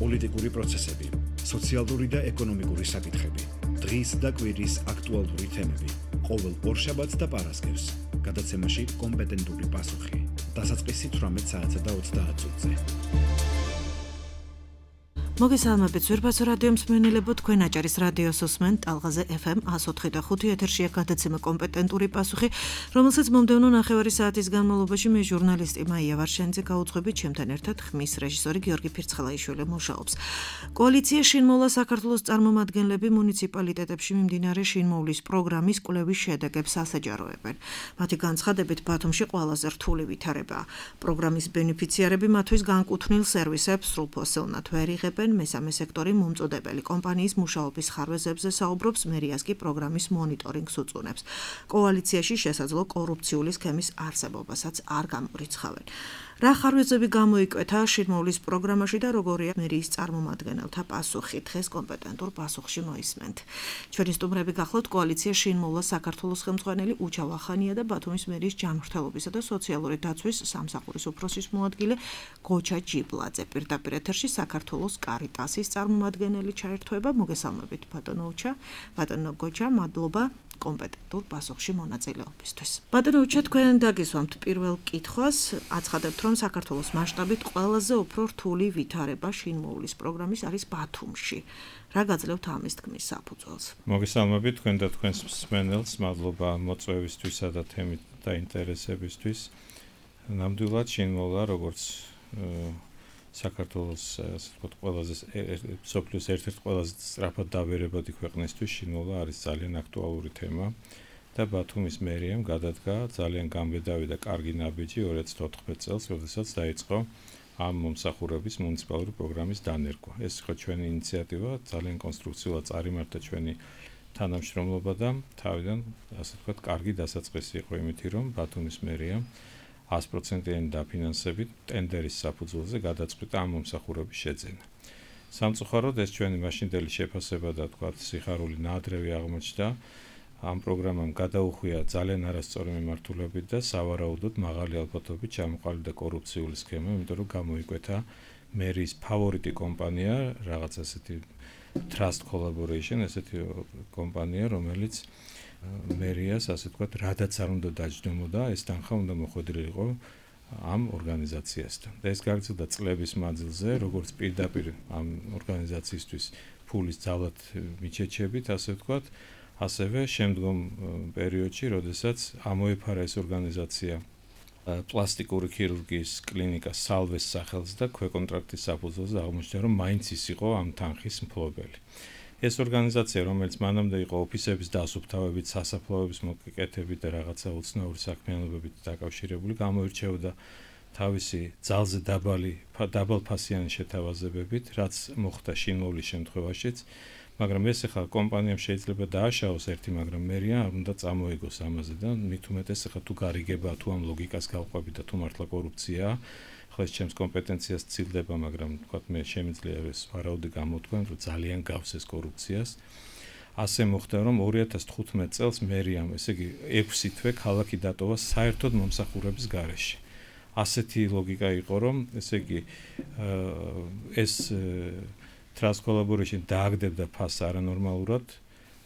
პოლიტიკური პროცესები, სოციალური და ეკონომიკური საკითხები, დღის და კვირის აქტუალური თემები, ყოველ ორშაბათს და პარასკევს, გადაცემაში კომპეტენტური პასუხი, დასაწყისი 18 საათსა და 30 წუთზე. მოგესალმებით ზურბაცო რადიო მსმენელებო, თქვენ აჭარის რადიოს უსმენთ ტალღაზე FM 104.5 ეთერშია გადაცემა კომპეტენტური პასუხი, რომელსაც მომდევნო ნახევარი საათის განმავლობაში მე ჟურნალისტი მაია ვარშენიძე გაუძღვებით, ჩემთან ერთად ხმის რეჟისორი გიორგი ფირცხელაიშვილი მუშაობს. კოალიცია შინმოვლა საქართველოს წარმომადგენლები მუნიციპალიტეტებში მიმდინარე შინმოვლის პროგრამის კვლევის შედეგებს ასაჯაროებენ. მათი განცხადებით ბათუმში ყველაზე რთული ვითარებაა. პროგრამის ბენეფიციარები მათთვის განკუთვნილ სერვისებს სრულფასოვნად ვერ იღებენ. მესამე სექტორი მომწოდებელი კომპანიის მუშაობის ხარვეზებზე საუბრობს, მერიას კი პროგრამის მონიტორინგს უწუნებს. კოალიციაში შესაძლო კორუფციული სქემის არსებობასაც არ გამორიცხავენ. რა ხარვეზები გამოიკვეთა შინმოვლის პროგრამაში და როგორია მერიის წარმომადგენელთა პასუხი? დღეს კომპეტენტურ პასუხში მოისმენთ. ჩვენი სტუმრები გახლავთ კოალიცია შინმოვლა საქართველოს ხელმძღვანელი უჩა ვახანია და ბათუმის მერიის ჯანმრთელობისა და სოციალური დაცვის სამსახურის უფროსის მოადგილე გოჩა ჯიბლაძე. პირდაპირ ეთერში საქართველოს კარიტასის წარმომადგენელი ჩაერთვება. მოგესალმებით ბატონო უჩა, ბატონო გოჩა, მადლობა კომპეტენტურ პასუხში მონაწილეობისთვის. ბატონო უჩა, თქვენ დაგისვამთ პირველ კითხვას, აცხადებთ, რომ საქართველოს მასშტაბით ყველაზე უფრო რთული ვითარება შინმოვლის პროგრამის არის ბათუმში. რა გაძლევთ ამის თქმის საფუძველს? მოგესალმებით თქვენ და თქვენს მსმენელს, მადლობა მოწვევისთვისა და თემით და ინტერესებისთვის. ნამდვილად შინმოვლა, როგორც საქართველოს ასე ვთქვათ ყველაზე სოფლის ერთ-ერთი ყველაზე სწრაფად დავერებადი ქვეყნისთვის შინმოვლა არის ძალიან აქტუალური თემა და ბათუმის მერიამ გადადგა ძალიან გამბედავი და კარგი ნაბიჯი 2014 წელს, როდესაც დაიწყო ამ მომსახურების მუნიციპალური პროგრამის დანერგვა. ეს იყო ჩვენი ინიციატივა, ძალიან კონსტრუქციულად წარიმართა ჩვენი თანამშრომლობა და თავიდან ასე ვთქვათ კარგი დასაწყისი იყო იმითი, რომ ბათუმის მერიამ 100%-იანი დაფინანსებით ტენდერის საფუძველზე გადაწყვიტა ამ მომსახურების შეძენა. სამწუხაროდ ეს ჩვენი მაშინდელი შეფასება და თქვათ სიხარული ნაადრევი აღმოჩნდა. ამ პროგრამამ გადაუხვია ძალიან არასწორი მიმართულებით და სავარაუდოდ მაღალი ალბათობით ჩამოყალიბდა კორუფციული სქემა, იმიტომ რომ გამოიკვეთა მერიის ფავორიტი კომპანია, რაღაც ასეთი Trust Collaboration, ესეთი კომპანია, რომელიც მერიას ასე ვთქვათ, რადაც არ უნდა დაჯდომოდა, ეს თანხა უნდა მოხვედრილიყო ამ ორგანიზაციასთან. და ეს გაგრძელდა წლების მანძილზე, როგორც პირდაპირ ამ ორგანიზაციისთვის ფულის ძალად მიჩეჩებით, ასე ვთქვათ, ასევე შემდგომ პერიოდში, როდესაც ამოეფარა ეს ორგანიზაცია პლასტიკური ქირურგიის კლინიკა სალვეს სახელს და ქვეკონტრაქტის საფუძველზე აღმოჩნდა, რომ მაინც ის იყო ამ თანხის მფლობელი. ეს ორგანიზაცია, რომელიც მანამდე იყო ოფისების დასუფთავებით, სასაფლაოების მოკეკეთებით და რაღაცა უცნაური საქმიანობებით დაკავშირებული, გამოირჩეოდა თავისი ძალზე დაბალფასიანი შეთავაზებებით, რაც მოხდა შინმოვლის შემთხვევაშიც, მაგრამ ეს ახლა კომპანიამ შეიძლება დააშაოს ერთი, მაგრამ მერია არ უნდა წამოეგოს ამაზე და მით უმეტეს ახლა თუ გარიგება, თუ ამ ლოგიკას გავყვებით და თუ მართლა კორუფციაა, ეს ჩემს კომპეტენციას ცილდება, მაგრამ თქვათ მე შემიძლია ეს ვარაუდი გამოთქვენ, რომ ძალიან გავს ეს კორუფციას. ასე მოხდა, რომ 2015 წელს მერიამ, ესე იგი 6 თვე ქალაქი დატოვა საერთოდ მომსახურების გარეშე. ასეთი ლოგიკა იყო, რომ ესე იგი ეს Trust Collaboration დააგდებდა ფასს არანორმალურად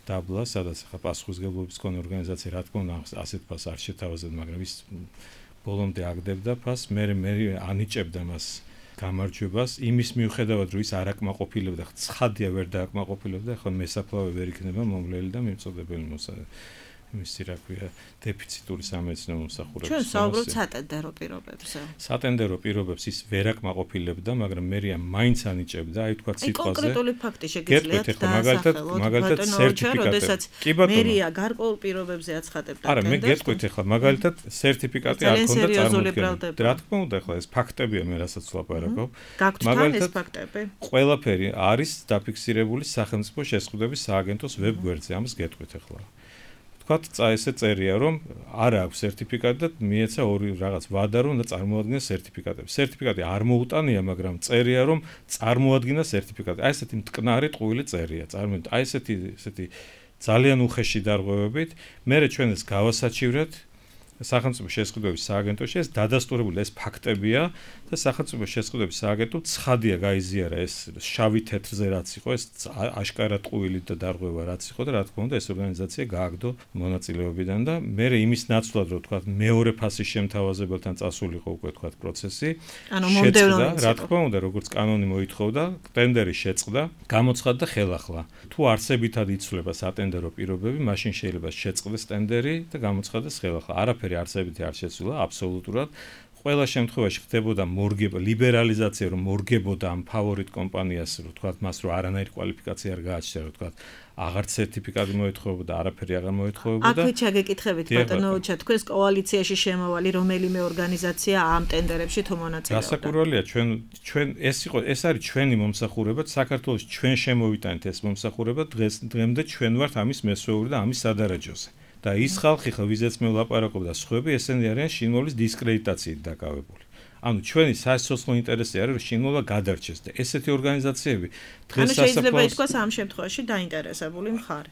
დაბლა, სადაც ახლა პასუხისმგებლობის მქონე ორგანიზაცია რა თქმა უნდა ასეთ ფასს არ შეთავაზებდა, მაგრამ ის ბოლომდე აგდებდა ფასს, მე ანიჭებდა მას გამარჯვებას, იმის მიუხედავად, რომ ის არ აკმაყოფილებდა, ცხადია ვერ დააკმაყოფილებდა, ახლა მესაფლავე ვერ იქნება მომვლელი და მიმწოდებელი მისი რა ქვია დეფიციტური სამედიცინო მომსახურების. ჩვენ საუბრობთ სატენდერო პირობებზე. სატენდერო პირობებს ის ვერ აკმაყოფილებდა, მაგრამ მერია მაინც ანიჭებდა, აი თქვა სიტყვაზე. კონკრეტული ფაქტი შეგიძლიათ დასახელოთ. მაგალითად სერტიფიკატი. კი ბატონო. მერია გარკვეულ პირობებზე აცხადებდა. არა, მე გეტყვით ახლა მაგალითად სერტიფიკატი არ ქონდა წარმოქმნილი. რა თქმა უნდა, ახლა ეს ფაქტებია, მე რასაც ვლაპარაკობ. მაგალითად ეს ფაქტები. ყველაფერი არის დაფიქსირებული სახელმწიფო შესყიდვების სააგენტოს ვებგვერდზე, ამას გეტყვით ახლა. ესე წერია, რომ არ აქვს სერტიფიკატი და მიეცა ორი რაღაც ვადა, რომ უნდა წარმოადგინოს სერტიფიკატები. სერტიფიკატი არ მოუტანია, მაგრამ წერია, რომ წარმოადგინა სერტიფიკატი. აი ესეთი მტკნარი ტყუილი წერია. წარმოიდგინეთ, აი ესეთი ძალიან უხეში დარღვევებით, მერე ჩვენ ეს გავასაჩივრეთ სახელმწიფო შესყიდვების სააგენტოში ეს დადასტურებული ეს ფაქტებია და სახელმწიფო შესყიდვების სააგენტომ ცხადია გაიზიარა ეს შავი თეთრზე რაც იყო ეს აშკარად ყუილით და დარღვევა რაც იყო და რა თქმა უნდა ეს ორგანიზაცია გააგდო მონაწილეობიდან და მე იმის ნაცვლად რომ თქვა მეორე ფასის შემთავაზებელთან წასულიყო უკვე თქვა პროცესი შეწყდა რა თქმა უნდა როგორც კანონი მოითხოვდა ტენდერი შეწყდა გამოცხადდა ხელახლა თუ არსებითად იცვლება სატენდერო პირობები მაშინ შეიძლება შეწყდეს ტენდერი და გამოცხადდეს ხელახლა არაფერი არსებითი არ შეცვლა აბსოლუტურად ყველა შემთხვევაში ხდებოდა მორგება ლიბერალიზაცია რომ მორგებოდა ამ ფავორიტ კომპანიას რომ თქვა მას რომ არანაირი კვალიფიკაცია არ გააჩნია რომ თქვა აღარ სერტიფიკატი მოეთხოვებოდა არაფერი აღარ მოეთხოვებოდა აქვე ჩაგეკითხებით ბატონო უჩა თქვენს კოალიციაში შემოვალი რომელიმე ორგანიზაცია ამ ტენდერებში თუ მონაწილეობდა გასაკურველია ჩვენ ეს არის ჩვენი მომსახურება საქართველოს ჩვენ შემოვიტანეთ ეს მომსახურება დღემდე ჩვენ ვართ ამის მესვეული და ამის სადარაჯოზე და ის ხალხი ვიზეც მე ვლაპარაკობ და სხვები ესენი არიან შინმოვლის დისკრედიტაციით დაკავებული. ანუ ჩვენი სასიცოცხლო ინტერესი არის რომ შინმოვლა გადარჩეს და ესეთი ორგანიზაციები დღეს შეიძლება ითქვას ამ შემთხვევაში დაინტერესებული მხარე.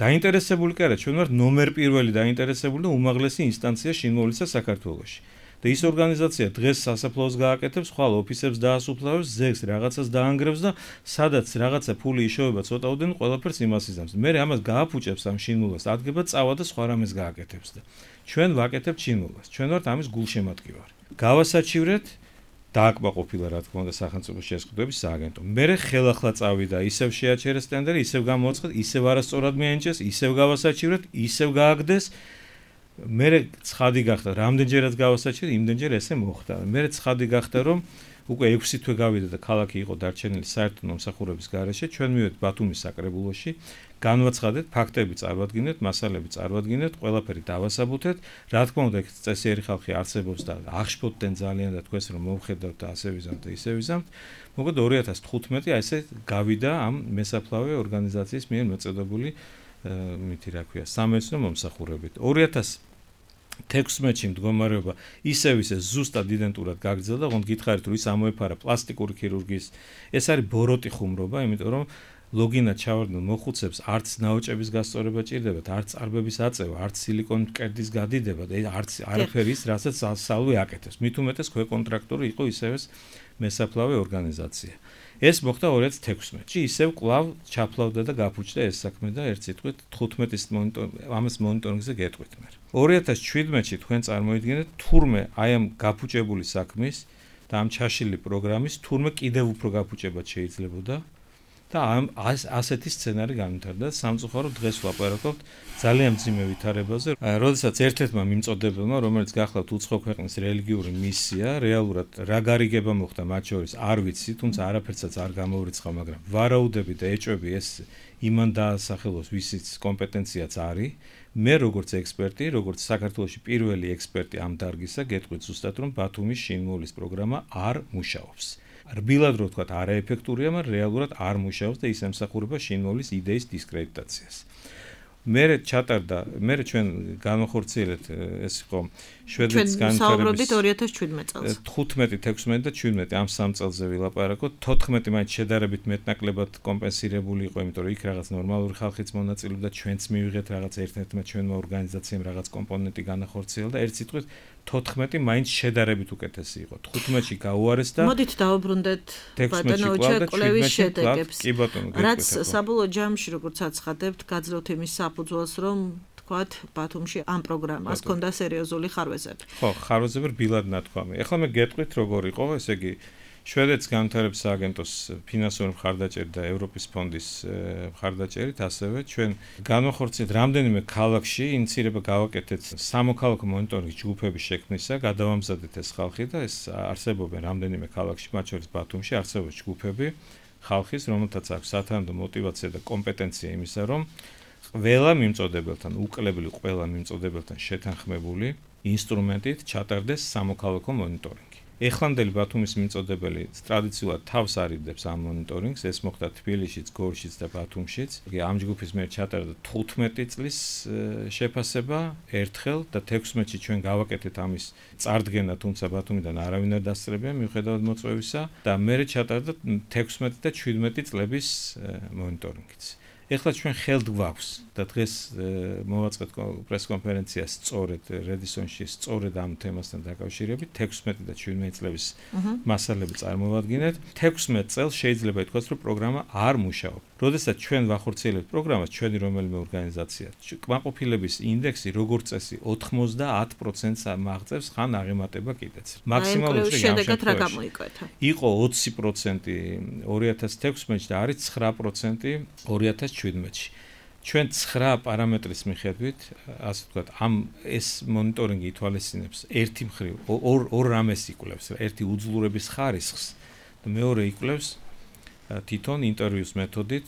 დაინტერესებული კი არა, ჩვენ ვართ ნომერ პირველი დაინტერესებული და უმაღლესი ინსტანცია შინმოვლისა საქართველოში. და ის ორგანიზაცია დღეს სასაფლაოს გააკეთებს, ხვალ ოფისებს დაასუფლავებს, ზეგს რაღაცას დაანგრევს და სადაც რაღაცა ფული იშოვება ცოტაოდენ ყველაფერს იმას იზამს. მე ამას გააფუჭებს ამ შინმოვლას, ადგება წავა და სხვა რამეს გააკეთებს და ჩვენ ვაკეთებთ შინმოვლას. ჩვენ ვართ ამის გულშემატკივარი. გავასაჩივრეთ დააკმაყოფილა რა თქმა უნდა სახელმწიფო შესყიდვების სააგენტო. მე ხელახლა წავიდა, ისევ შეაჩერეს ტენდერი, ისევ გამოაცხადეს, ისევ არასწორად მიენიჭეს, ისევ გავასაჩივრეთ, ისევ გააგდეს. მე ცხადი გახდა, რამდენჯერაც გავასაჩივრე, იმდენჯერ ესე მოხდა. მე ცხადი გახდა, რომ უკვე 6 თვე გავიდა და ქალაქი იყო დარჩენილი საერთო მომსახურების გარეშე, ჩვენ მივედით ბათუმის საკრებულოში, განვაცხადეთ, ფაქტები წარვადგინეთ, მასალები წარვადგინეთ, ყველაფერი დავასაბუთეთ. რა თქმა უნდა, წესიერი ხალხი არსებობს და აღშფოთდნენ ძალიან და თქვენს რომ მოვხედავთ და ასე ვიზამთ და ისე ვიზამთ. მოკლედ 2015 აი ესე გავიდა ამ მესაფლავე ორგანიზაციის მიერ მოწოდებული მითი რა ქვია, სამეცნიერო მომსახურებით. 2016-ში მდგომარეობა ისევ ზუსტად იდენტურად გაგრძელდა, ოღონდ გითხარით რომ ის ამოეფარა პლასტიკური ქირურგიის. ეს არის ბოროტი ხუმრობა, იმიტომ რომ ლოგინად ჩავარდნილ მოხუცებს არც ნაოჭების გასწორება ჭირდებათ, არც წარბების აწევა, არც სილიკონის მკერდის გადიდება და არც არაფერი ის, რასაც სასწავლი აკეთებს. მით უმეტეს ქვეკონტრაქტორი იყო ისევ მესაფლავე ორგანიზაცია. ეს მოხდა 2016-ში, ისევ კვლავ ჩაფლავდა და გაფუჭდა ეს საქმე და ერთ სიტყვით 15-ის ამას მონიტორინგზე გეტყვით მე. 2017-ში თქვენ წარმოიდგინეთ თურმე აი ამ გაფუჭებული საქმის და ამ ჩაშლილი პროგრამის თურმე კიდევ უფრო გაფუჭება შეიძლებოდა და ასეთი სცენარი განვითარდა. სამწუხაროდ დღეს ვლაპარაკობთ ძალიან მძიმე ვითარებაზე. როდესაც ერთ-ერთმა მიმწოდებელმა, რომელიც გახლავთ უცხო ქვეყნის რელიგიური მისია, რეალურად რა გარიგება მოხდა მათ შორის არ ვიცი, თუმცა არაფერსაც არ გამოვრიცხავ, მაგრამ ვარაუდები და ეჭვები ეს იმან დაასახელოს, ვისიც კომპეტენციაც არის. მე როგორც ექსპერტი, როგორც საქართველოში პირველი ექსპერტი ამ დარგისა, გეტყვით ზუსტად რომ ბათუმის შინმოვლის პროგრამა არ მუშაობს. რბილად რო ვთქვათ, არაეფექტურია, მაგრამ რეალურად არ მუშაობს და ის ემსახურება შინმოვლის იდეის დისკრედიტაციას. მე ჩვენ განახორციელეთ ეს იყო შვედეთის განვითარების 2017 წელს 15, 16 და 17 ამ 3 წელზე ვილაპარაკოთ. 14 მაინც შედარებით მეტნაკლებად კომპენსირებული იყო, იმიტომ რომ იქ რაღაც ნორმალური ხალხიც მონაწილეობდა, ჩვენც მივიღეთ რაღაც ერთ-ერთმა ჩვენმა ორგანიზაციამ რაღაც კომპონენტი განახორციელა და ერთ სიტყვით 14 მაინც შედარებით უკეთესი იყო. 15-ში გაუარეს და მოდით დავუბრუნდეთ ბატონო ჩეკვლევის შედეგებს. რაც საბოლოო ჯამში როგორც აცხადებთ, გაძლევთ იმის საფუძველს, რომ თქვათ ბათუმში ამ პროგრამას ჰქონდა სერიოზული ხარვეზები. ხო, ხარვეზები რბილად ნათქვამი. ეხლა მე გეტყვით როგორ იყო, ესე იგი შვედეთის განვითარების სააგენტოს ფინანსური მხარდაჭერით და ევროპის ფონდის მხარდაჭერით, ასევე ჩვენ განახორციელებთ რამდენიმე ქალაქში ინიცირება გავაკეთეთ სამოქალაქო მონიტორინგის ჯგუფების შექმნისა, გადავამზადეთ ეს ხალხი და ეს არსებობენ რამდენიმე ქალაქში, მათ შორის ბათუმში არსებობს ჯგუფები ხალხის, რომელთაც აქვს სათანადო мотиваცია და კომპეტენცია იმისა, რომ ყველა მიმწოდებელთან, უკლებლი ყველა მიმწოდებელთან შეთანხმებული ინსტრუმენტით ჩატარდეს სამოქალაქო მონიტორინგი. ეხლამდელი ბათუმის მიმწოდებელი ტრადიციულად თავს არიდებს ამ მონიტორინგს, ეს მოხდა თბილისშიც, გორშიც და ბათუმშიც. ამ ჯგუფის მიერ ჩატარდა 15 წლის შეფასება ერთხელ და 16-ში ჩვენ გავაკეთეთ ამის წარდგენა, თუმცა ბათუმიდან არავინ არ დასწრებია მიუხედავად მოწვევისა და მერე ჩატარდა 16 და 17 წლების მონიტორინგიც. ეხლა ჩვენ ხელთ გვაქვს და დღეს მოვაწყეთ პრესკონფერენციას სწორედ რედისონში სწორედ ამ თემასთან დაკავშირებით 16 და 17 წლების მასალები წარმოვადგინეთ. 16 წელს შეიძლება ითქვას, რომ პროგრამა არ მუშაობს. როდესაც ჩვენ ვახორციელებთ პროგრამას, ჩვენი რომელიმე ორგანიზაცია, კმაყოფილების ინდექსი როგორც წესი 90%-ს მაღწევს, ხან აღემატება კიდეც. მაქსიმალურად შედეგად რა გამოიკვეთა? იყო 20% 2016-ში და არის 9% 2017-ში. ჩვენ 9 პარამეტრის მიხედვით, ასე ვთქვათ, ეს მონიტორინგი ითვალისწინებს ერთი მხრივ ორ რამეს იკვლევს, ერთი უძლურების ხარისხს და მეორე იკვლევს თვითონ ინტერვიუს მეთოდით,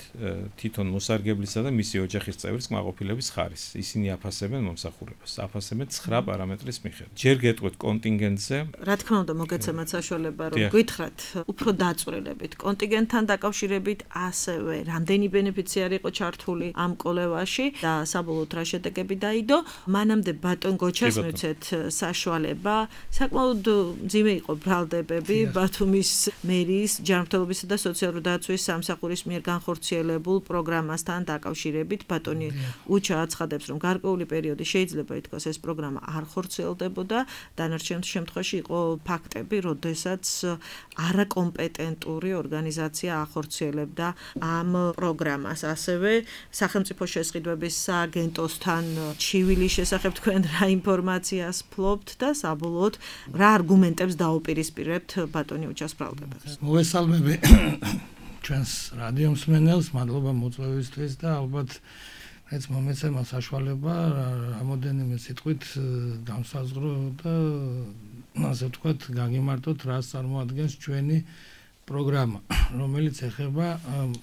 თვითონ მოსარგებლისა და მისი ოჯახის წევრის კმაყოფილების ხარისხს. ისინი აფასებენ მომსახურებას, აფასებენ 9 პარამეტრის მიხედვით. ჯერ გეტყვით კონტინგენტზე. რა თქმა უნდა, მოგეცემათ საშუალება, რომ გითხრათ უფრო დაწვრილებით კონტინგენტთან დაკავშირებით, ასევე რამდენი ბენეფიციარი იყო ჩართული ამ კოლევაში და საბოლოოდ რა შედეგები დაიდო. მანამდე ბატონ გოჩას მივცეთ საშუალება, საკმაოდ მძიმე იყო ბრალდებები ბათუმის მერიის ჯანმრთელობისა და სოციალური დაცვის სამსახურის მიერ განხორციელებულ პროგრამასთან დაკავშირებით. ბატონი უჩა აცხადებს, რომ გარკვეული პერიოდი შეიძლება ითქვას ეს პროგრამა არ ხორციელდებოდა. დანარჩენ შემთხვევაში იყო ფაქტები, როდესაც არაკომპეტენტური ორგანიზაცია ახორციელებდა ამ პროგრამას. ასევე სახელმწიფო შესყიდვების სააგენტოსთან ჩივილის შესახებ თქვენ რა ინფორმაციას ფლობთ და საბოლოოდ რა არგუმენტებს დაუპირისპირებთ ბატონი უჩას ბრალდებებს? მოგესალმები ჩვენს რადიო მსმენელს, მადლობა მოწვევისთვის და ალბათ მეც მომეცემა საშუალება რამოდენიმე სიტყვით განსაზღვრო და ასე ვთქვათ, გაგიმარტოთ რას წარმოადგენს ჩვენი პროგრამა, რომელიც ეხება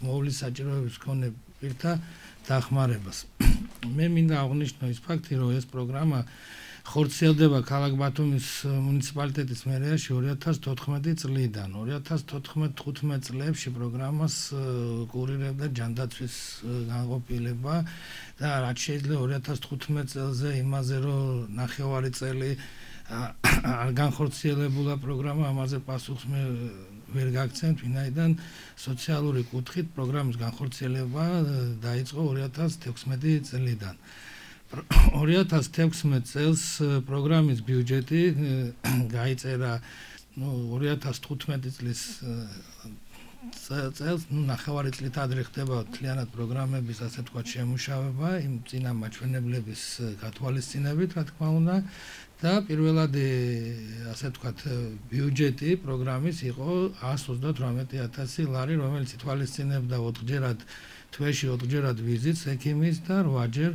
მოვლის საჭიროების მქონე პირთა დახმარებას. მე მინდა აღვნიშნო ის ფაქტი, რომ ეს პროგრამა ხორციელდება ქალაქ ბათუმის მუნიციპალიტეტის მერიაში 2014 წლიდან. 2014-15 წლებში პროგრამას კურირებდა ჯანდაცვის განყოფილება და რაც შეიძლება 2015 წელზე იმაზე, რომ ნახევარი წელი არ განხორციელებულა პროგრამა, ამაზე პასუხს მე ვერ გაგცემთ, ვინაიდან სოციალური კუთხით პროგრამის განხორციელება დაიწყო 2016 წლიდან. 2016 წელს პროგრამის ბიუჯეტი გაიწერა 2015 წლის წელს, ნახევარი წლით ადრე ხდება მთლიანად პროგრამების, ასე ვთქვათ, შემუშავება იმ წინა მაჩვენებლების გათვალისწინებით, რა თქმა უნდა, და პირველადი, ასე ვთქვათ, ბიუჯეტი პროგრამის იყო 138,000 ლარი, რომელიც ითვალისწინებდა 4-ჯერად თვეში 4-ჯერად ვიზიტს ექიმის და 8-ჯერ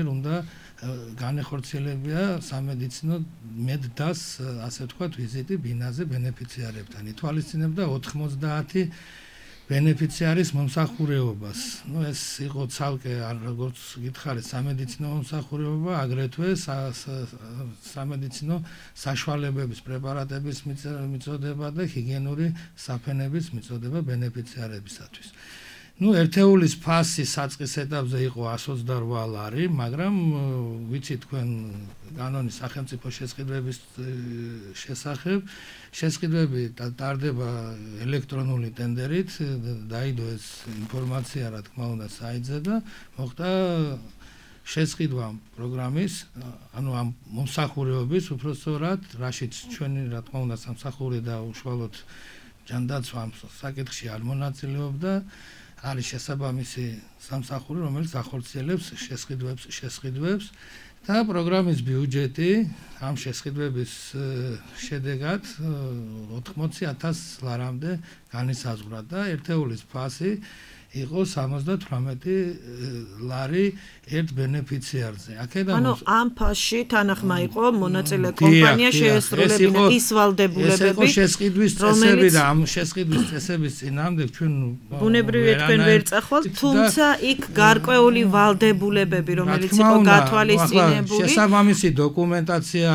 უნდა განეხორციელებია სამედიცინო მედდას, ასე ვთქვათ, ვიზიტი ბინაზე ბენეფიციარებთან. ითვალისწინებდა 90 ბენეფიციარის მომსახურეობას. ეს იყო ცალკე, როგორც გითხარით, სამედიცინო მომსახურეობა, აგრეთვე სამედიცინო საშუალებების პრეპარატების მიწოდება და ჰიგიენური საფენების მიწოდება ბენეფიციარებისათვის. ერთეულის ფასი საწყის ეტაპზე იყო 128 ლარი, მაგრამ ვიცი თქვენ კანონის სახელმწიფო შესყიდვების შესახებ, შესყიდვები ტარდება ელექტრონული ტენდერით, დაიდო ეს ინფორმაცია, რა თქმა უნდა, საიტზე და მოხდა შესყიდვა პროგრამის, ანუ ამ მომსახურეობის, უпростоრად, რაშიც ჩვენი, რა თქმა უნდა, სამსახური და უშუალოდ ჯანდაცვა ამ საკითხში არ მონაწილეობდა. არის შესაბამისი სამსახური, რომელიც ახორციელებს შესყიდვებს და პროგრამის ბიუჯეტი ამ შესყიდვების შედეგად 80,000 ლარამდე განისაზღვრა და ერთეულის ფასი იყო 78 ლარი ერთ ბენეფიციარზე. ანუ ამ ფასში თანახმა იყო მონაწილე კომპანია შეესრულებინა ის ვალდებულებები. ეს იყო შესყიდვის წესები და ამ შესყიდვის წესების წინააღმდეგ ჩვენ ბუნებრივია თქვენ ვერ წახვალთ, თუმცა იქ გარკვეული ვალდებულებები, რომელიც იყო გათვალისწინებული. შესაბამისი დოკუმენტაცია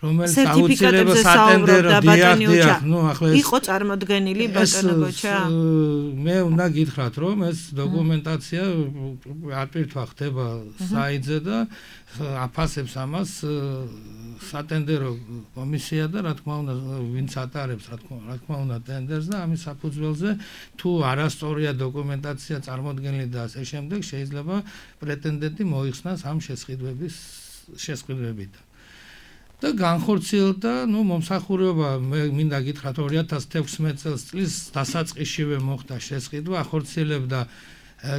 რომელიც აუცილებლად სატენდერო დიახ, ახლა იყო წარმოდგენილი ბატონო გოჩა. მე უნდა გითხრათ, რომ ეს დოკუმენტაცია აპირთვა ხდება საიტზე და აფასებს ამას სატენდერო კომისია და რა თქმა უნდა ვინც ატარებს რა თქმა უნდა ტენდერს და ამის საფუძველზე თუ არასწორია დოკუმენტაცია წარმოდგენილი და ასე შემდეგ შეიძლება პრეტენდენტი მოიხსნას ამ შესყიდვებით. და განხორციელდა, მომსახურება მე მინდა გითხრათ 2016 წლის დასაწყისშივე მოხდა შესყიდვა, ახორციელებდა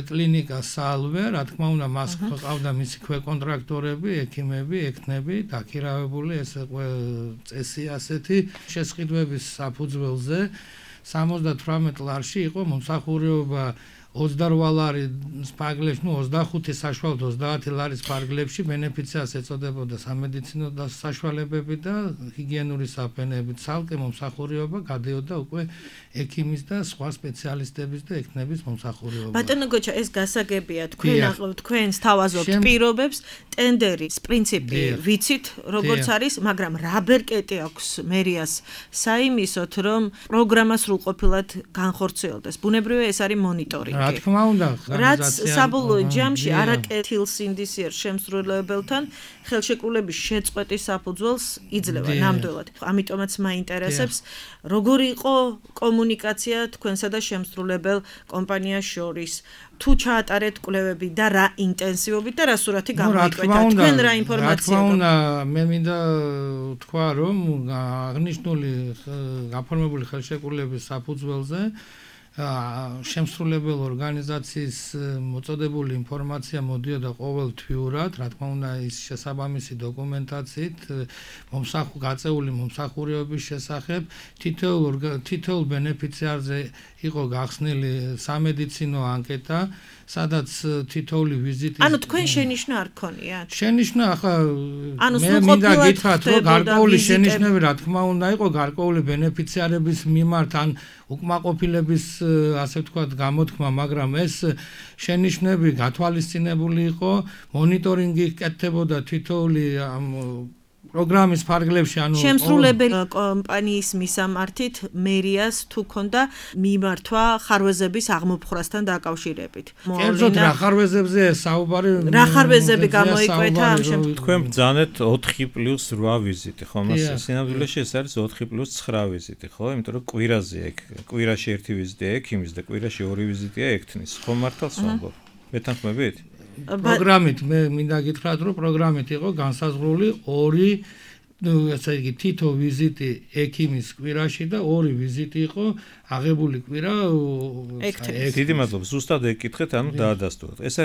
კლინიკა სალვე, რა თქმა უნდა მას ყავდა მისი ქვეკონტრაქტორები, ექიმები, ექნები, დაქირავებული ეს წესი ასეთი შესყიდვების საფუძველზე 78 ლარში იყო მომსახურება 28 ლარის პარგლებში, 25 საშუალოდ 30 ლარის პარგლებში ბენეფიციას ეწოდებოდა სამედიცინო საშუალებები და ჰიგიენური საფენები. ცალკე მომსახურება გადიოდა უკვე ექიმის და სხვა სპეციალისტების და ექნების მომსახურება. ბატონო გოჩა, ეს გასაგებია, თქვენს თავაზობთ პირობებს, ტენდერის პრინციპი ვიცით, როგორც არის, მაგრამ რა ბერკეტი აქვს მერიას საიმისოთ, რომ პროგრამა სრულყოფილად განხორციელდეს. ბუნებრივია ეს არის მონიტორინგი. რა თქმა უნდა, რაც საბოლოო ჯამში არაკეთილსინდისიერ შემსრულებელთან ხელშეკრულების შეწყვეტის საფუძველს იძლევა ნამდვილად. ამიტომაც მაინტერესებს, როგორი იყო კომუნიკაცია თქვენსა და შემსრულებელ კომპანიას შორის, თუ ჩაატარეთ კვლევები და რა ინტენსივობით და რა სურათი გამოიკვეთა, თქვენ რა ინფორმაცია გაქვთ? რა თქმა უნდა, მე მინდა თქვა, რომ აღნიშნული გაფორმებული ხელშეკრულების საფუძველზე შემსრულებელ ორგანიზაციის მოწოდებული ინფორმაცია მოდიოდა ყოველთვიურად, რა თქმა უნდა ის შესაბამისი დოკუმენტაციით გაწეული მომსახურებების შესახებ თითოეულ ბენეფიციარზე იყო გახსნილი სამედიცინო ანკეტა, სადაც თითოეული ვიზიტი ანუ თქვენ შენიშვნა არ გქონიათ? შენიშვნა ახლა მე მინდა გითხრათ, რომ გარკვეული შენიშვნები რა თქმა უნდა იყო გარკვეული ბენეფიციარების მიმართ ან უკმაყოფილების ასე ვთქვათ გამოთქმა, მაგრამ ეს შენიშვნები გათვალისწინებული იყო, მონიტორინგი კეთდებოდა თითოეული პროგრამის ფარგლებში, ანუ შემსრულებელი კომპანიის მისამართით მერიას თუ ქონდა მიმართვა ხარვეზების აღმოფხვრასთან დაკავშირებით. კერძოდ რა ხარვეზებზე საუბარი? რა ხარვეზები გამოიკვეთა ამ შემთხვევაში? თქვენ ბძანეთ 4+8 ვიზიტი, ხო? სინამდვილეში ეს არის 4+9 ვიზიტი, ხო? იმიტომ რომ კვირაში 1 ვიზიტია ექიმის და კვირაში 2 ვიზიტია ექთნის. ხო მართალს ვამბობ? მეთანხმებით? პროგრამით მე მინდა გითხრათ, რომ პროგრამით იყო განსაზღვრული 2 ესე იგი თითო ვიზიტი ექიმის კვირაში და 2 ვიზიტი იყო აღებული კვირა ექთნის. დიდი მადლობა, ზუსტად ეკითხეთ, ანუ დაადასტუროთ. ეს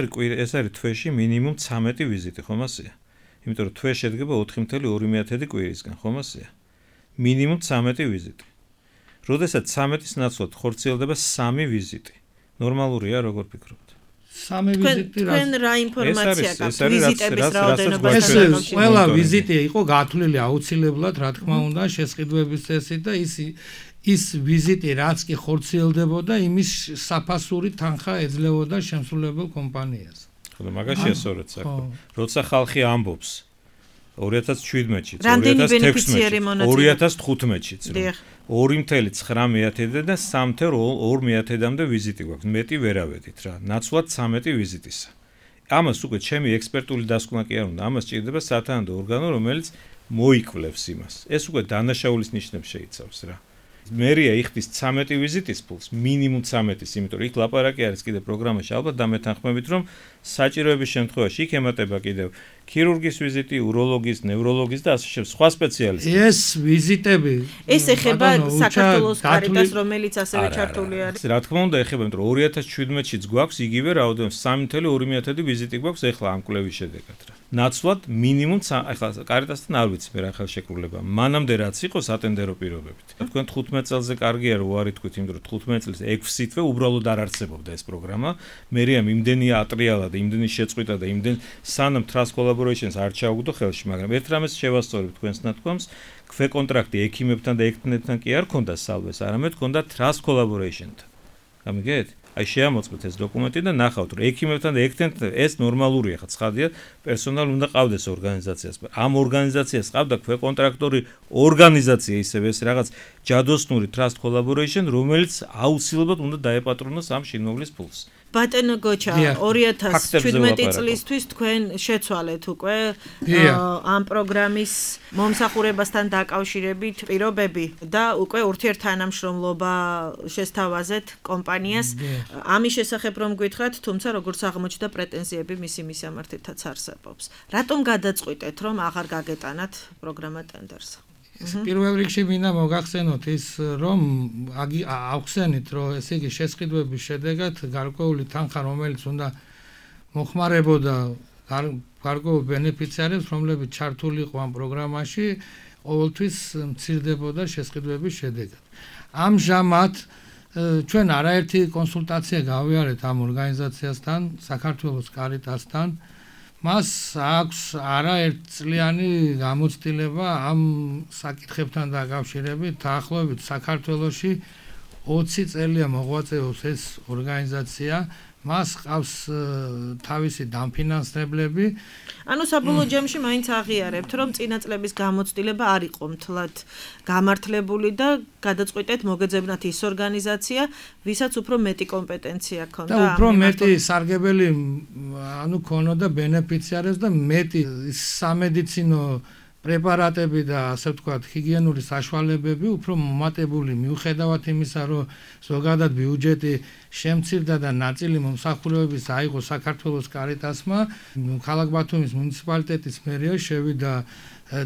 არის თვეში მინიმუმ 13 ვიზიტი, ხომ ასეა? იმიტომ რომ თვე შედგება 4.2 კვირისგან, ხომ ასეა? მინიმუმ 13 ვიზიტი. როდესაც 13-ის ნაცვლად ხორციელდება 3 ვიზიტი. ნორმალურია, როგორ ფიქრობთ? 3 ვიზიტი თქვენ რა ინფორმაცია გაქვთ ვიზიტების რაოდენობასთან დაკავშირებით? ყველა ვიზიტი იყო გათვლილი აუცილებლად, რა თქმა უნდა, შესყიდვების წესით და ის ვიზიტი რაც კი ხორციელდებოდა, იმის საფასური თანხა ეძლეოდა შემსრულებელ კომპანიას. ხო, მაგაშია სწორედ საქმე. როცა ხალხი ამბობს 2017-ში, 2015-ში, 2015-ში, 2.9 და 3.2-მდე ვიზიტი გვაქვს. მეტი ვერავედით რა. ნაცვლად 13 ვიზიტისა. ამას უკვე ჩემი ექსპერტული დასკვნა კი არ უნდა. ამას ჭირდება სათანადო ორგანო, რომელიც მოიკვლევს იმას. ეს უკვე დანაშაულის ნიშნებს შეიცავს რა. მერია იხდის 13 ვიზიტის ფულს, მინიმუმ 13-ის, იმიტომ რომ იქ ლაპარაკი არის კიდე პროგრამაში, ალბათ დამეთანხმებით, რომ საჭიროების შემთხვევაში იქ ემატება კიდევ ქირურგის ვიზიტი, უროლოგის, ნევროლოგის და ასე შემდეგ, სხვა სპეციალისტები. ეს ვიზიტები ეს ეხება საქართველოს კარიტას, რომელიც ასევე ჩართული არის. რა თქმა უნდა, ეხება, იმიტომ რომ 2017-შიც გვაქვს იგივე რაოდენობის 3.2 ვიზიტი გვაქვს ეხლა ამ კვლევის შედეგად რა. ნაცვლად მინიმუმ ახლა კარიტასთან არ ვიცი მე რა ხელშეკრულება. მანამდე რაც იყო სატენდერო პირობებით. თქვენ 15 წელზე კარგია რომ უარი თქვით, იმიტომ რომ 15 წელს 6 თვე უბრალოდ არ არსებობდა ეს პროგრამა. მერია იმდენია ატრიალა და იმდენი შეწყვიტა და იმდენ სანამ Trust Collaborations არ ჩაუგდო ხელში, მაგრამ ერთ რამეს შევასწორებ თქვენს ნათქვამს, ქვეკონტრაქტი ექიმებთან და ექთნებთან კი არ ქონდა სალვეს, არამედ ქონდა Trust Collaboration-თან. გამიგეთ? აი შეამოწმეთ ეს დოკუმენტი და ნახავთ, რომ ექიმებთან და ექთენთან ეს ნორმალურია, ხა ცხადია, პერსონალი უნდა ყავდეს ორგანიზაციას. ამ ორგანიზაციას ყავდა ქვეკონტრაქტორი ორგანიზაცია, ისევ ეს რაღაც ჯადოსნური trust collaboration, რომელიც აუცილებლად უნდა დაეპატრონოს ამ შინმოვლის ფულს. ბატონო გოჩა 2017 წლისთვის თქვენ შეცვალეთ უკვე ამ პროგრამის მომსახურებასთან დაკავშირებით პირობები და უკვე ურთიერთთანამშრომლობა შესთავაზეთ კომპანიას. ამის შესახებ რომ გითხრათ, თუმცა როგორც აღმოჩნდა პრეტენზიები მისი მისამართითაც არსებობს. რატომ გადაწყვიტეთ რომ აღარ გაგეტანათ პროგრამა ტენდერს? პირველ რიგში მინდა მოგახსენოთ ის, რომ აღხსენით, რომ ესე იგი შესყიდვების შედეგად გარკვეული თანხა, რომელიც უნდა მოხმარებოდა გარკვეულ ბენეფიციარებს, რომლებიც ჩართული იყო ამ პროგრამაში, ყოველთვის მცირდებოდა შესყიდვების შედეგად. ამჟამად ჩვენ არაერთი კონსულტაცია გავიარეთ ამ ორგანიზაციასთან, საქართველოს კარიტასთან. მას აქვს არაერთწლიანი გამოცდილება ამ საკითხებთან დაკავშირებით. დაახლოებით საქართველოში 20 წელია მოღვაწეობს ეს ორგანიზაცია. მას ყავს თავისი დამფინანსებლები. ანუ საბოლოო ჯამში მაინც აღიარებთ, რომ წინა წლების გამოცდილება არ იყო მთლად გამართლებული და გადაწყვეტეთ მოგეძებნათ ის ორგანიზაცია, ვისაც უფრო მეტი კომპეტენცია ჰქონდა. და უფრო მეტი სარგებელი ანუ ქონოდა ბენეფიციარებს და მეტი სამედიცინო პრეპარატები და ასე ვთქვათ, ჰიგიენური საშუალებები უფრო მომატებული მიუხედავად იმისა, რომ ზოგადად ბიუჯეტი შემცირდა და ნაწილი მომსახურებების აიღო საქართველოს კარიტასმა, ქალაქ ბათუმის მუნიციპალიტეტის მერია შევიდა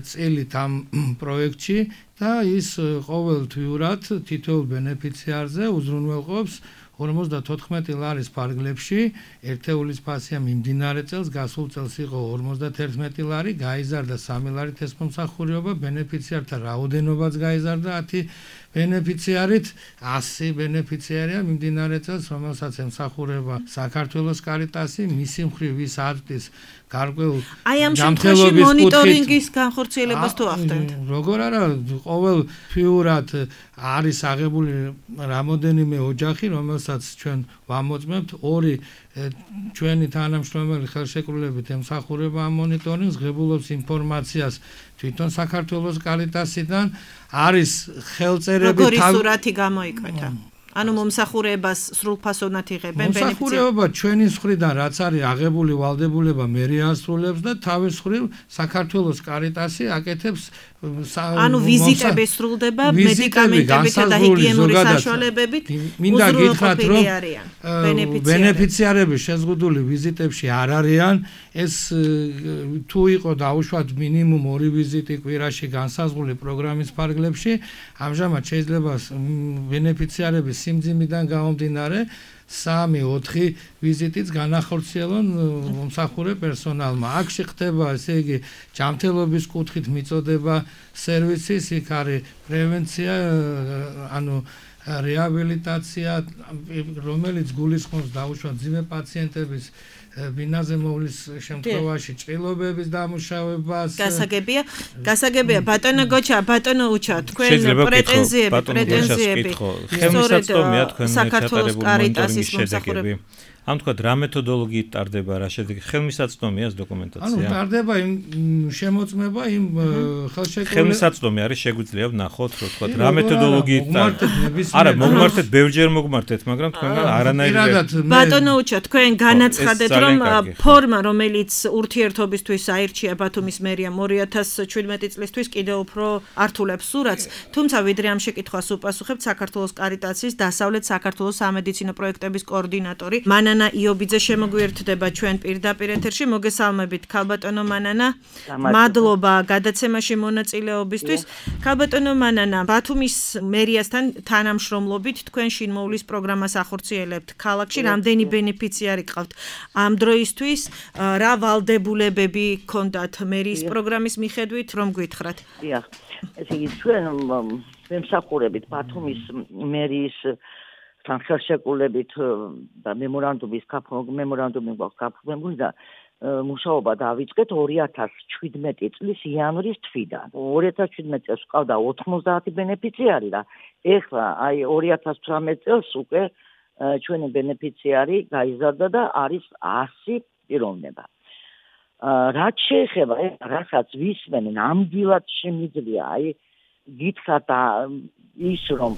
წილით ამ პროექტში და ის ყოველთვიურად თითოეულ ბენეფიციარზე უზრუნველყოფს 54 ლარის ფარგლებში. ერთეულის ფასია მიმდინარე წელს, გასულ წელს იყო 51 ლარი, გაიზარდა 3 ლარით ეს მომსახურება, ბენეფიციართა რაოდენობაც გაიზარდა 10 ბენეფიციარით, 100 ბენეფიციარია მიმდინარე წელს, რომელსაც ემსახურება საქართველოს კარიტასი, მისი მხრივ ის აწვდის გარკვეულ აი ამ შემთხვევაში მონიტორინგის განხორციელებას თუ ახდენთ? როგორ არა, ყოველთვიურად არის აღებული რამოდენიმე ოჯახი, რომელსაც ჩვენ ვამოწმებთ, 2 ჩვენი თანამშრომელი ხელშეკრულებით ემსახურება ამ მონიტორინგს, ღებულობს ინფორმაციას თვითონ საქართველოს კარიტასიდან, არის ხელწერები როგორი სურათი გამოიკვეთა? ანუ მომსახურებას სრულფასოვნად იღებენ ბენეფიციარები. მომსახურება ჩვენი მხრიდან რაც არის აღებული ვალდებულება მერია ასრულებს და თავის მხრივ საქართველოს კარიტასი აკეთებს ანუ ვიზიტები სრულდება მედიკამენტებითა და ჰიგიენური საშუალებებით. მინდა გითხრათ, რომ ბენეფიციარები შეზღუდული ვიზიტებში არ არიან. ეს თუ იყო დაუშვათ მინიმუმ 2 ვიზიტი კვირაში განსაზღვრული პროგრამის ფარგლებში, ამჟამად შეიძლება ბენეფიციარების სიმძიმიდან გამომდინარე 3-4 ვიზიტიც განახორციელონ მომსახურე პერსონალმა. აქ ხდება, ესე იგი, ჯანმრთელობის კუთხით მიწოდება სერვისის, იქ არის პრევენცია, ანუ რეაბილიტაცია, რომელიც გულისხმობს დაუშვათ ძიმე პაციენტების ბინაზე მოვლის შემთხვევაში ჭრილობების დამუშავებას. გასაგებია, ბატონო გოჩა, ბატონო უჩა, თქვენ პრეტენზიები. ხელმისაწვდომია თქვენ ჩატარებული მონიტორინგის შედეგები. ამ თქვა რა მეთოდოლოგიით ტარდება რა შედეგი? ხელმისაწვდომია ეს დოკუმენტაცია? ანუ ტარდება იმ შემოწმება იმ ხელშეკრულების. ხელმისაწვდომი არის, შეგვიძლია ვნახოთ, რომ თქვა რა მეთოდოლოგიით არა, მოგმართეთ, ბევრჯერ მოგმართეთ, მაგრამ თქვენგან არანაირად. ბატონო უჩა, თქვენ განაცხადეთ, რომ ფორმა, რომელიც ურთიერთობისთვის აირჩია ბათუმის მერიამ 2017 წლისთვის კიდევ უფრო ართულებს სურათს, თუმცა ვიდრე ამ შეკითხვას უპასუხებთ, საქართველოს კარიტასის დასავლეთ საქართველოს სამედიცინო პროექტების კოორდინატორი მანანა იობიძე შემოგვიერთდება ჩვენ პირდაპირ ეთერში. მოგესალმებით, ქალბატონო მანანა. მადლობა გადაცემაში მონაწილეობისთვის. ქალბატონო მანანა, ბათუმის მერიასთან თანამშრომლობით თქვენ შინმოვლის პროგრამას ახორციელებთ ქალაქში. რამდენი ბენეფიციარი გყავთ ამ დროისთვის? რა ვალდებულებები გქონდათ მერიის პროგრამის მიხედვით, რომ გითხრათ? დიახ. ესე იგი ჩვენ ვემსახურებით ბათუმის მერიის თან ხელშეკრულებით და მემორანდუმი გვაქვს გაფორმებული და მუშაობა დავიწყეთ 2017 წლის იანვრის თვიდან. 2017 წელს ყავდა 90 ბენეფიციარი და ეხლა აი 2018 წელს უკვე ჩვენი ბენეფიციარი გაიზარდა და არის 100 პიროვნება. რაც შეეხება რასაც ვისმენ ნამდვილად შემიძლია გითხრათ ის რომ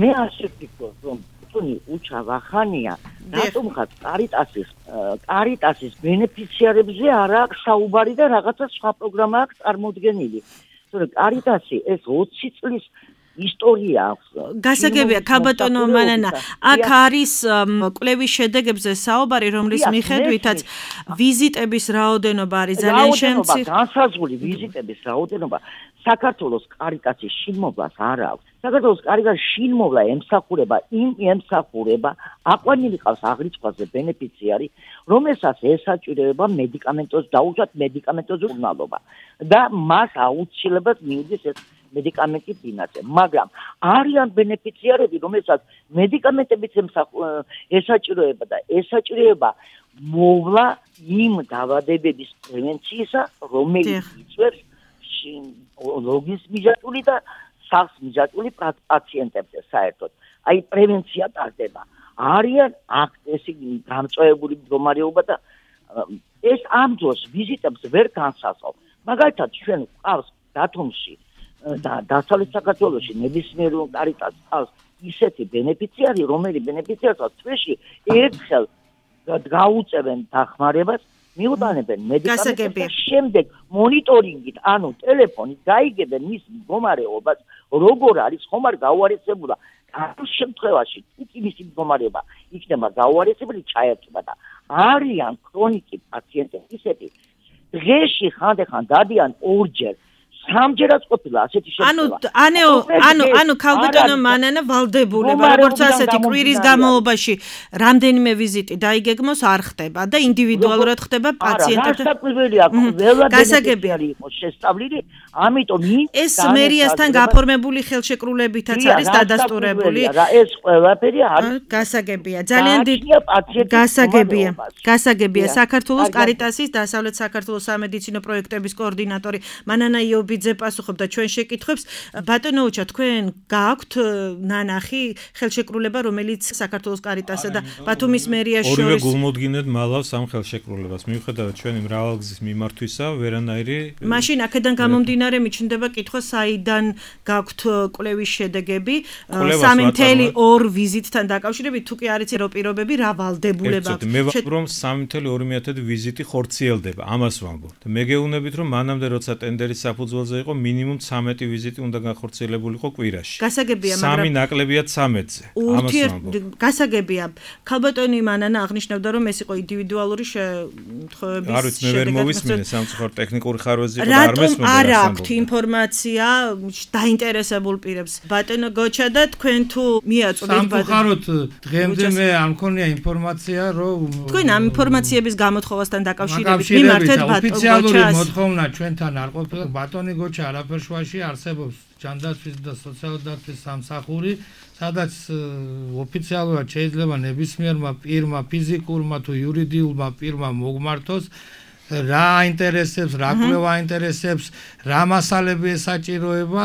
მე ასე ვფიქრობ რომ თუნი უჩა ვახანია რატომღაც კარიტასის ბენეფიციარებზე არ აქვს საუბარი და რაღაცა სხვა პროგრამა აქვს წარმოდგენილი. თორე კარიტასი ეს 20 წლის ისტორია აქვს. გასაგებია ქალბატონო მანანა, აქ არის კვლევის შედეგებზე საუბარი, რომლის მიხედვითაც ვიზიტების რაოდენობა არის ძალიან შემცირ. განსაზღვრული ვიზიტების რაოდენობა საქართველოს კარიტასის შინმოვლას არ აქვს. საქართველოს კარიტასის შინმოვლა ემსახურება აყვანილი ყავს აღრიცხვაზე ბენეფიციარი, რომელსაც ესაჭიროება მედიკამენტოს დაუშვათ მედიკამენტოზე უზრუნველობა და მას აუცილებლად მიუძის ეს მედიკამენტი ფინანსზე, მაგრამ არიან ბენეფიციარები, რომელსაც მედიკამენტებიც ესაჭიროება და ესაჭიროება მოვლა იმ დაავადებების პრევენციისა, რომელიც იწვევს ლოგის მიჯაჭვული და სახს მიჯაჭვული პაციენტებზე საერთოდ. აი პრევენცია ტარდება. არიან აქ ესე გამწვავებული მდგომარეობა და ეს ამ დროს ვიზიტებს ვერ განსაზღვრავს. მაგალითად ჩვენ ყავს დათომში და დასავლეთ საქართველოში ნებისმიერ კარიტას ყავს ისეთი ბენეფიციარი, რომელიც ბენეფიციარს თვეში ერთხელ გაუწევენ დახმარებას, მიუტანებენ მედიკამენტებს და შემდეგ მონიტორინგით, ანუ ტელეფონით გაიგებენ მის მდგომარეობას, როგორ არის, ხომ არ გაუარესებულა. ამ შემთხვევაში თუკი მისი მდგომარეობა იქნება გაუარესებული, ჩაერთვა და არიან ქრონიკი პაციენტები ისეთი დღეში ხანდახან დადიან ორჯერ სამჯერაც ყოფილა ასეთი შემთხვევა. ანუ ქალბატონო მანანა ვალდებულება, როგორც ასეთი კვირის განმავლობაში რამდენიმე ვიზიტი დაიგეგმოს არ ხდება და ინდივიდუალურად ხდება პაციენტებთან. გასაგებია, ყველა ბენეფიციარი იყოს შესწავლილი, ამიტომ ეს მერიასთან გაფორმებული ხელშეკრულებითაც არის დადასტურებული. ეს ყველაფერი არის გასაგებია, ძალიან დიდი გასაგებია საქართველოს კარიტასის დასავლეთ საქართველოს სამედიცინო პროექტების კოორდინატორი მანანა იობიძე პასუხობდა ჩვენ შეკითხვებს. ბატონო უჩა, თქვენ გააქვთ ნანახი ხელშეკრულება, რომელიც საქართველოს კარიტასა და ბათუმის მერიას შორის ორივე გულმოდგინედ მალავს ამ ხელშეკრულებას. მიუხედავად ჩვენი მრავალგზის მიმართვისა, ვერანაირი მაშინ აქედან გამომდინარე მიჩნდება კითხვა, საიდან გაქვთ კვლევის შედეგები 3.2 ვიზიტთან დაკავშირებით, თუ კი არის პირობები, რა ვალდებულება აქვს. მე ვამბობ, რომ 3.2 ვიზიტი ხორციელდება, ამას ვამბობ. მე გეუბნებით, რომ მანამდე როცა ტენდერის საფუძველზე იყო მინიმუმ 13 ვიზიტი უნდა განხორციელებულიყო კვირაში. გასაგებია, მაგრამ 3 ნაკლებია 13-ზე. ამას ვამბობ. გასაგებია, ქალბატონი მანანა აღნიშნავდა, რომ ეს იყო ინდივიდუალური შემთხვევების არ ვიცი, მე ვერ მოვისმინე სამწუხაროდ ტექნიკური ხარვეზი იყო და არ მესმოდა. არ აქვთ ინფორმაცია დაინტერესებულ პირებს. ბატონო გოჩა და თქვენ თუ მიაწვდით სამწუხაროდ დღემდე მე არ მქონია ინფორმაცია, რომ თქვენ ამ ინფორმაციების გამოთხოვასთან დაკავშირებით მიმართეთ ბატონო გოჩას. ოფიციალური მოთხოვნა ჩვენთან არ ყოფილა. ბატონი გოჩა არაფერშვაში არსებობს ჯანდაცვის და სოციალური დაცვის სამსახური, სადაც ოფიციალურად შეიძლება ნებისმიერმა პირმა, ფიზიკურმა თუ იურიდიულმა პირმა მოგმართოს რა აინტერესებს, რა კვლევა აინტერესებს, რა მასალები ესაჭიროება.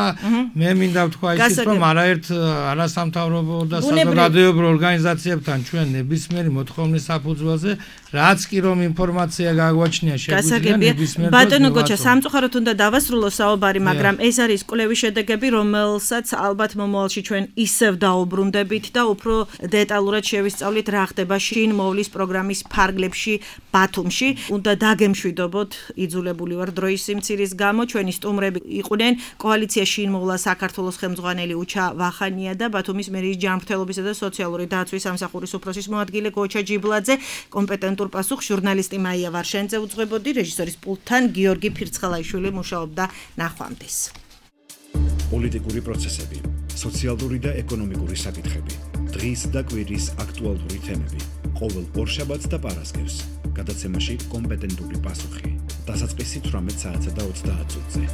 მე მინდა ვთქვა ისიც, რომ არაერთ არასამთავრობო და საზოგადოებრივ ორგანიზაციებთან ჩვენ ნებისმიერი მოთხოვნის საფუძველზე, რაც კი რომ ინფორმაცია გაგვაჩნია, შეგვიძლია ნებისმიერ დროს. ბატონო გოჩა, სამწუხაროდ უნდა დავასრულო საუბარი, მაგრამ ეს არის კვლევის შედეგები, რომელსაც ალბათ მომავალში ჩვენ ისევ დაუბრუნდებით და უფრო დეტალურად შევისწავლით, რა ხდება შინმოვლის პროგრამის ფარგლებში ბათუმში. უნდა დაგემშვიდობოთ, იძულებული ვარ დროის სიმცირის გამო. ჩვენი სტუმრები იყვნენ კოალიცია შინმოვლა საქართველოს ხელმძღვანელი უჩა ვახანია და ბათუმის მერიის ჯანმრთელობისა და სოციალური დაცვის სამსახურის უფროსის მოადგილე გოჩა ჯიბლაძე. კომპეტენტურ პასუხს ჟურნალისტი მაია ვარშენძე უძღვებოდი, რეჟისორის პულტთან გიორგი ფირცხალაიშვილი მუშაობდა. ნახვამდის. პოლიტიკური პროცესები, სოციალური და ეკონომიკური საკითხები, დღის და კვირის აქტუალური თემები. ყოველ ორშაბათს და პარასკევს გადაცემაში კომპეტენტური პასუხი. დასაწყისი 18 საათსა და 30 წუთზე.